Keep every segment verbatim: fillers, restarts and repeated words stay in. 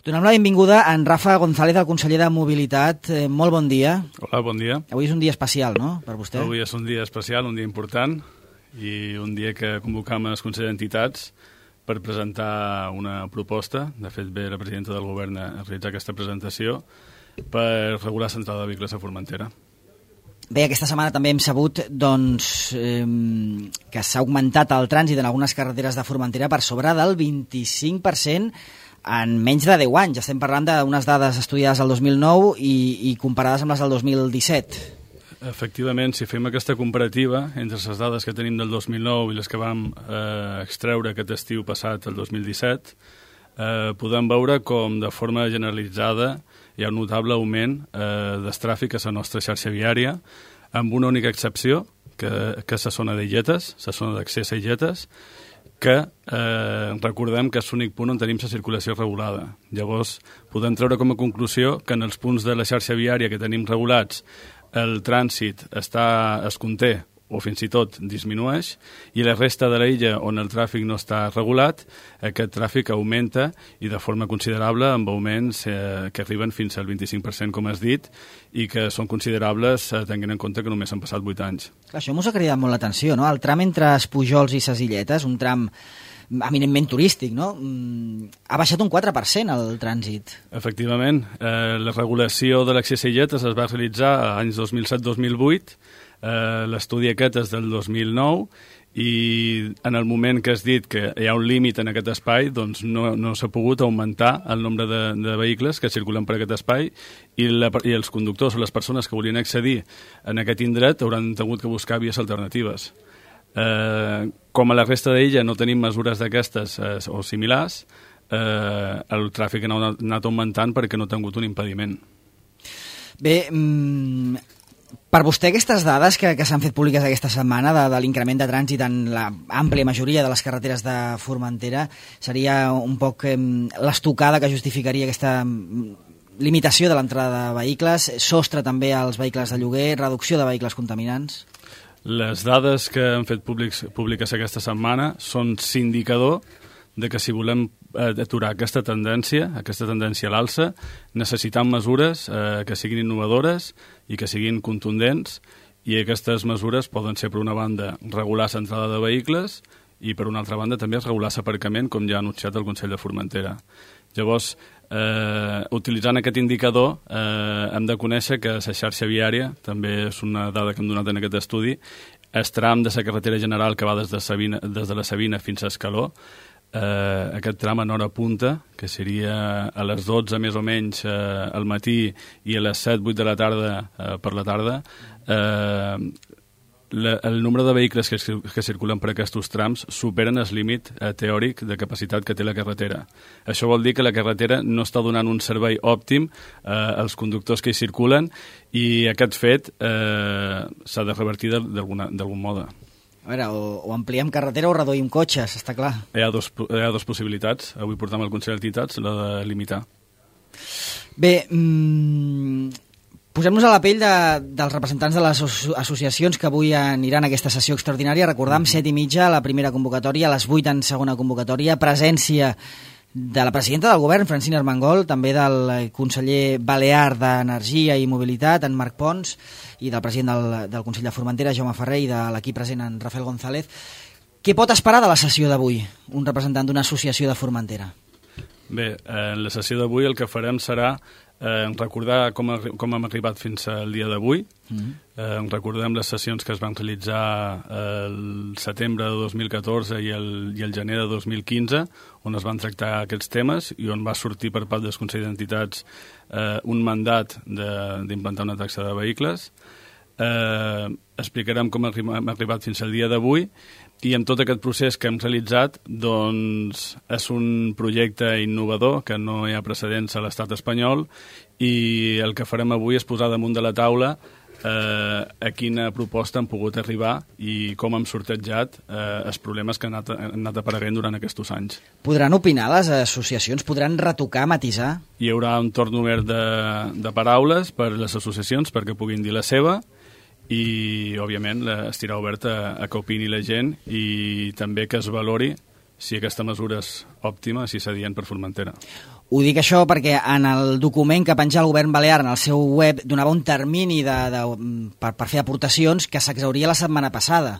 Donem la benvinguda a en Rafa González, el conseller de Mobilitat. Eh, molt bon dia. Hola, bon dia. Avui és un dia especial, no?, per vostè. Avui és un dia especial, un dia important, i un dia que convocam els consellers d'entitats per presentar una proposta. De fet, ve la presidenta del govern a realitzar aquesta presentació per regular l'entrada de vehicles a Formentera. Bé, aquesta setmana també hem sabut doncs, eh, que s'ha augmentat el trànsit en algunes carreteres de Formentera per sobre del vint-i-cinc per cent en menys de deu anys. Estem parlant d'unes dades estudiades el dos mil nou i, i comparades amb les del dos mil disset. Efectivament, si fem aquesta comparativa entre les dades que tenim del dos mil nou i les que vam eh, extreure aquest estiu passat, el dos mil disset, eh, podem veure com de forma generalitzada hi ha un notable augment eh, del tràfic a la nostra xarxa viària, amb una única excepció, que, que és la zona d'Illetes, la zona d'accés a Illetes, que eh, recordem que és l'únic punt on tenim la circulació regulada. Llavors, podem treure com a conclusió que en els punts de la xarxa viària que tenim regulats el trànsit està, es conté o fins i tot disminueix, i la resta de l'illa on el tràfic no està regulat, aquest tràfic augmenta i de forma considerable, amb augments eh, que arriben fins al vint-i-cinc per cent, com has dit, i que són considerables eh, tenint en compte que només han passat vuit anys. Clar, això mos ha cridat molt l'atenció, no? El tram entre Espujols i ses Illetes, un tram eminentment turístic, no? Ha baixat un quatre per cent el trànsit. Efectivament, eh, la regulació de l'accés a Illetes es va realitzar a anys dos mil set dos mil vuit, eh, l'estudi aquest és del dos mil nou, i en el moment que has dit que hi ha un límit en aquest espai, doncs no, no s'ha pogut augmentar el nombre de, de vehicles que circulen per aquest espai, i, la, i els conductors o les persones que volien accedir en aquest indret hauran hagut que buscar vies alternatives. Eh, com a la resta d'illa no tenim mesures d'aquestes eh, o similars, eh, el tràfic ha anat augmentant perquè no ha tingut un impediment. Bé, mmm, per vostè aquestes dades que, que s'han fet públiques aquesta setmana de, de l'increment de trànsit en la àmplia majoria de les carreteres de Formentera seria un poc eh, l'estocada que justificaria aquesta limitació de l'entrada de vehicles, sostre també als vehicles de lloguer, reducció de vehicles contaminants? Les dades que han fet públics, públiques aquesta setmana són indicador de que si volem aturar aquesta tendència, aquesta tendència a l'alça, necessitem mesures eh, que siguin innovadores i que siguin contundents, i aquestes mesures poden ser, per una banda, regular l'entrada de vehicles i, per una altra banda, també regular l'aparcament, com ja ha anunciat el Consell de Formentera. Llavors, eh, utilitzant aquest indicador, eh, hem de conèixer que la xarxa viària, també és una dada que hem donat en aquest estudi, el tram de la carretera general que va des de, Sabina, des de la Sabina fins a Escaló, eh, aquest tram en hora punta, que seria a les dotze més o menys eh, al matí i a les set vuit de la tarda eh, per la tarda, eh, La, el nombre de vehicles que, que circulen per aquests trams superen el límit eh, teòric de capacitat que té la carretera. Això vol dir que la carretera no està donant un servei òptim eh, als conductors que hi circulen, i aquest fet eh, s'ha de revertir d'algun mode. A veure, o, o ampliem carretera o reduïm cotxes, està clar. Hi ha dos, hi ha dos possibilitats. Avui portem al Consell d'Entitats la de limitar. Bé, mmm... posem-nos a la pell de, dels representants de les associacions que avui aniran a aquesta sessió extraordinària. Recordam, set i mitja la primera convocatòria, a les vuit en segona convocatòria, presència de la presidenta del govern, Francina Armengol, també del conseller balear d'Energia i Mobilitat, en Marc Pons, i del president del, del Consell de Formentera, Jaume Ferrer, i de l'equip present, en Rafael González. Què pot esperar de la sessió d'avui, un representant d'una associació de Formentera? Bé, en la sessió d'avui el que farem serà Eh, recordar com, a, com hem arribat fins al dia d'avui. Mm-hmm. eh, recordem les sessions que es van realitzar eh, el setembre de dos mil catorze i el, i el gener de dos mil quinze, on es van tractar aquests temes i on va sortir per part dels Consells d'Entitats eh, un mandat d'implantar una taxa de vehicles. Eh, explicarem com hem arribat fins al dia d'avui, i amb tot aquest procés que hem realitzat, doncs és un projecte innovador que no hi ha precedents a l'estat espanyol, i el que farem avui és posar damunt de la taula eh, a quina proposta hem pogut arribar i com hem sortejat eh, els problemes que han anat, han anat apareguent durant aquests anys. Podran opinar les associacions? Podran retocar, matisar? Hi haurà un torn obert de, de paraules per les associacions perquè puguin dir la seva, i, òbviament, estirà obert a, a que opini la gent i també que es valori si aquesta mesura és òptima, si s'adient per Formentera. Ho dic això perquè en el document que penjà el govern balear en el seu web donava un termini de, de, per, per fer aportacions que s'exhauria la setmana passada.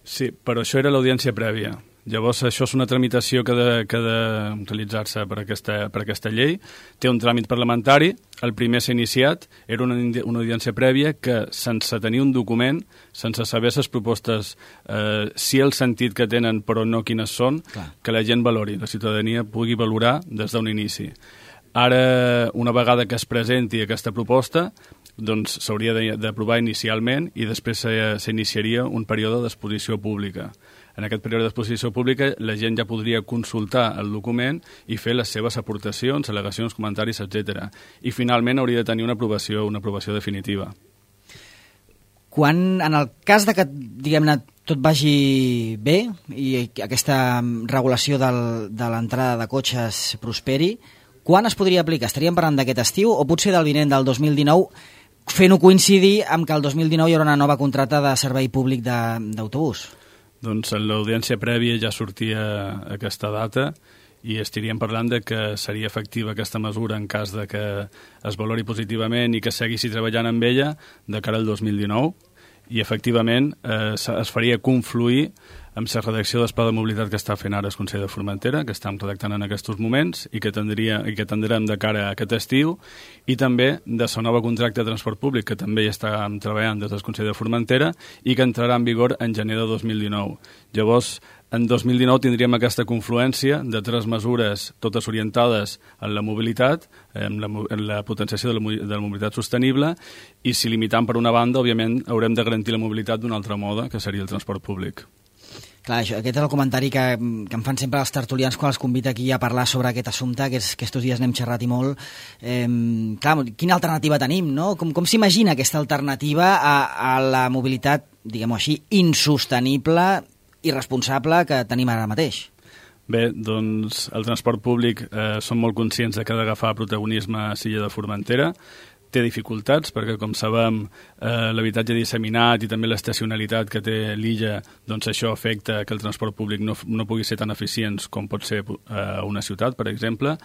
Sí, però això era l'audiència prèvia. Llavors, això és una tramitació que ha de, que ha de realitzar-se per aquesta, per aquesta llei. Té un tràmit parlamentari. El primer s'ha iniciat. Era una, una audiència prèvia que, sense tenir un document, sense saber les propostes, eh, sí el sentit que tenen, però no quines són, clar, que la gent valori, la ciutadania pugui valorar des d'un inici. Ara, una vegada que es presenti aquesta proposta, doncs s'hauria d'aprovar inicialment i després s'iniciaria un període d'exposició pública. En aquest període d'exposició pública la gent ja podria consultar el document i fer les seves aportacions, al·legacions, comentaris, etcètera. I finalment hauria de tenir una aprovació, una aprovació definitiva. Quan, en el cas de que, diguem-ne, tot vagi bé i aquesta regulació del, de l'entrada de cotxes prosperi, quan es podria aplicar? Estaríem parlant d'aquest estiu o potser del vinent del dos mil dinou, fent-ho coincidir amb que el dos mil dinou hi haurà una nova contracta de servei públic d'autobús? Doncs en l'audiència prèvia ja sortia aquesta data i estaríem parlant de que seria efectiva aquesta mesura en cas de que es valori positivament i que seguissi treballant amb ella de cara al dos mil dinou i efectivament eh, es faria confluir amb la redacció del Pla de Mobilitat que està fent ara el Consell de Formentera, que estem redactant en aquests moments i que, tindria, i que tindrem de cara a aquest estiu, i també de la nova contracte de transport públic, que també hi estàvem treballant des del Consell de Formentera i que entrarà en vigor en gener de dos mil dinou. Llavors, en dos mil dinou tindríem aquesta confluència de tres mesures, totes orientades en la mobilitat, en la, en la potenciació de la, de la mobilitat sostenible, i si limitant per una banda, òbviament, haurem de garantir la mobilitat d'un altre mode, que seria el transport públic. Clar, això, aquest és el comentari que, que em fan sempre els tertulians quan els convida aquí a parlar sobre aquest assumpte, que, és, que estos dies n'hem xerrat i molt. Eh, clar, quina alternativa tenim, no? Com, com s'imagina aquesta alternativa a, a la mobilitat, diguem-ho així, insostenible, irresponsable que tenim ara mateix? Bé, doncs el transport públic eh, som molt conscients de que ha d'agafar protagonisme a Silla de Formentera. Té dificultats perquè, com sabem, eh, l'habitatge disseminat i també l'estacionalitat que té l'illa, doncs això afecta que el transport públic no, no pugui ser tan eficients com pot ser eh, una ciutat, per exemple,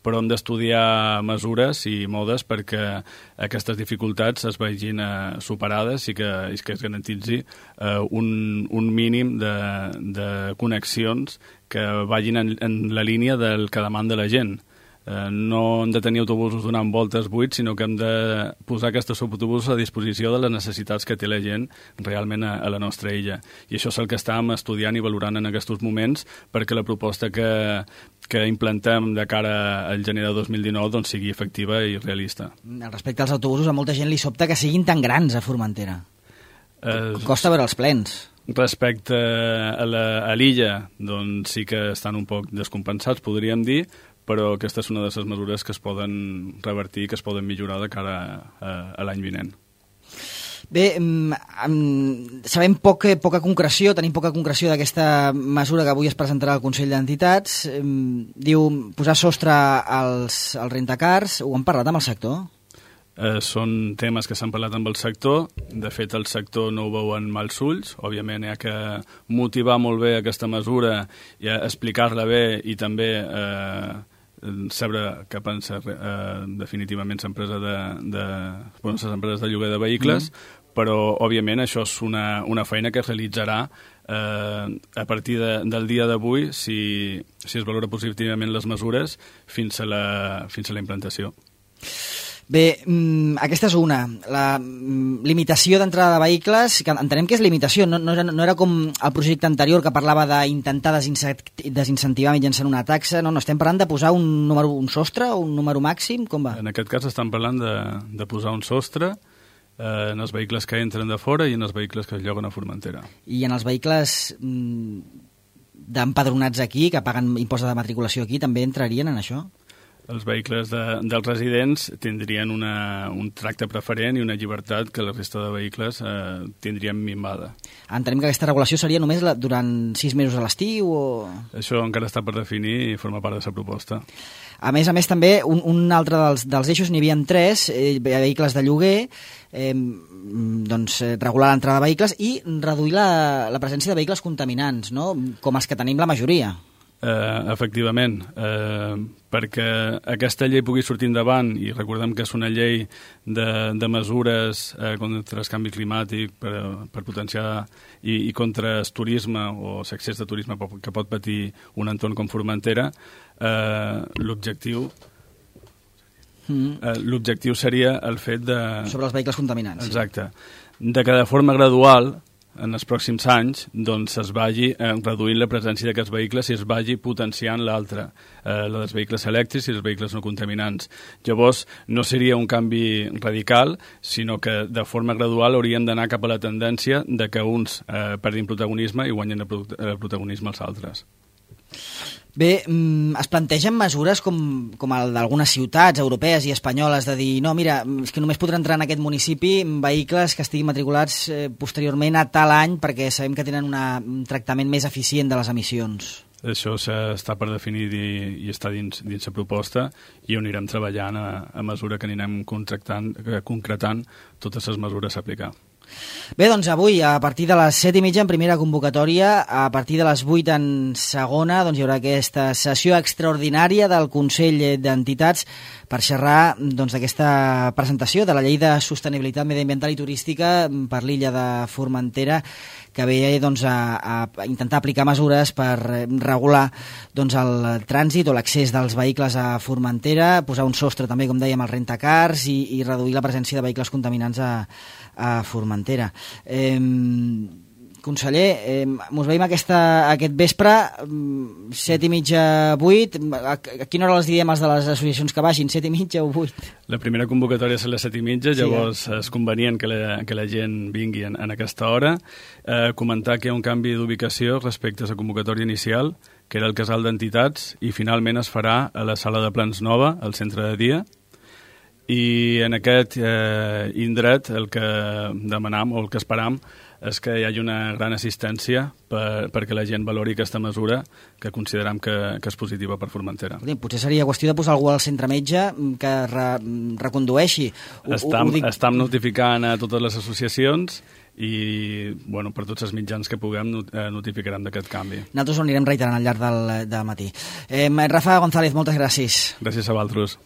però hem d'estudiar mesures i modes perquè aquestes dificultats es vegin eh, superades i que, i que es garantitzi eh, un, un mínim de, de connexions que vagin en, en la línia del que demanda la gent. Eh, no hem de tenir autobusos donant voltes buits, sinó que hem de posar aquests autobusos a disposició de les necessitats que té la gent realment a, a la nostra illa. I això és el que estàvem estudiant i valorant en aquests moments perquè la proposta que, que implantem de cara al gener de dos mil dinou doncs, sigui efectiva i realista. Respecte als autobusos, a molta gent li sobta que siguin tan grans a Formentera. Eh, Costa veure els plens. Respecte a l'illa, doncs sí que estan un poc descompensats, podríem dir, però aquesta és una de les mesures que es poden revertir, que es poden millorar de cara a, a l'any vinent. Bé, sabem poc, poca concreció, tenim poca concreció d'aquesta mesura que avui es presentarà al Consell d'Entitats. Diu posar sostre als, als rentacars. Ho han parlat amb el sector? Eh, són temes que s'han parlat amb el sector. De fet, el sector no ho veuen mals ulls. Òbviament, hi ha que motivar molt bé aquesta mesura i explicar-la bé i també eh, saber què pensa eh, definitivament l'empresa de, de, bueno, les empreses de lloguer de vehicles, mm. però, òbviament, això és una, una feina que es realitzarà eh, a partir de, del dia d'avui si, si es valora positivament les mesures fins a la, fins a la implantació. Bé, aquesta és una, la limitació d'entrada de vehicles, que entenem que és limitació, no, no, no era com el projecte anterior que parlava d'intentar desincentivar mitjançant una taxa, no, no, estem parlant de posar un número, un sostre, un número màxim, com va? En aquest cas estem parlant de, de posar un sostre eh, en els vehicles que entren de fora i en els vehicles que es lloguen a Formentera. I en els vehicles mm, d'empadronats aquí, que paguen impost de matriculació aquí, també entrarien en això? Els vehicles de, dels residents tindrien una, un tracte preferent i una llibertat que la resta de vehicles eh, tindrien minvada. Entenem que aquesta regulació seria només la, durant sis mesos a l'estiu o...? Això encara està per definir i forma part de la proposta. A més a més, també, un, un altre dels, dels eixos, n'hi havia tres, eh, vehicles de lloguer, eh, doncs, eh, regular l'entrada de vehicles i reduir la, la presència de vehicles contaminants, no? Com els que tenim la majoria. Eh, efectivament, eh, perquè aquesta llei pugui sortir endavant, i recordem que és una llei de, de mesures eh, contra el canvi climàtic per, per potenciar i, i contra el turisme o l'excés de turisme que pot patir un entorn com Formentera, eh, l'objectiu mm. eh, l'objectiu seria el fet de... Sobre els vehicles contaminants. Exacte. Sí. De que de forma gradual en els pròxims anys doncs es vagi eh, reduint la presència d'aquests vehicles i es vagi potenciant l'altre, eh, la dels vehicles elèctrics i els vehicles no contaminants. Llavors, no seria un canvi radical, sinó que de forma gradual hauríem d'anar cap a la tendència de que uns eh, perdin protagonisme i guanyen el protagonisme els altres. Bé, es plantegen mesures com, com el d'algunes ciutats europees i espanyoles de dir, no, mira, és que només podran entrar en aquest municipi vehicles que estiguin matriculats eh, posteriorment a tal any perquè sabem que tenen una, un tractament més eficient de les emissions. Això està per definir i, i està dins, dins la proposta i on anirem treballant a, a mesura que anirem concretant totes les mesures a aplicar. Bé, doncs avui, a partir de les set i mitja en primera convocatòria, a partir de les vuit en segona, doncs hi haurà aquesta sessió extraordinària del Consell d'Entitats per xerrar doncs, d'aquesta presentació de la Llei de Sostenibilitat Mediambiental i Turística per l'illa de Formentera, que ve doncs, a, a intentar aplicar mesures per regular doncs, el trànsit o l'accés dels vehicles a Formentera, posar un sostre també, com dèiem, als rentacars i, i reduir la presència de vehicles contaminants a, a Formentera. Eh, conseller, eh, mos veiem aquesta, aquest vespre, set i mitja, vuit. A, a quina hora els diem els de les associacions que vagin, set i mitja o vuit? La primera convocatòria és a les set i mitja, llavors sí, eh? és convenient que la, que la gent vingui en, en aquesta hora. Eh, comentar que hi ha un canvi d'ubicació respecte a la convocatòria inicial, que era el casal d'entitats, i finalment es farà a la sala de plans nova, al centre de dia, i en aquest eh, indret el que demanam o el que esperam és que hi hagi una gran assistència per, perquè la gent valori aquesta mesura que considerem que, que és positiva per Formentera. Potser seria qüestió de posar algú al centre metge que re, recondueixi. Estam, ho, ho dic... estam notificant a totes les associacions i bueno, per tots els mitjans que puguem notificarem d'aquest canvi. Nosaltres ho anirem reiterant al llarg del, del matí. Eh, Rafa González, moltes gràcies. Gràcies a vosaltres.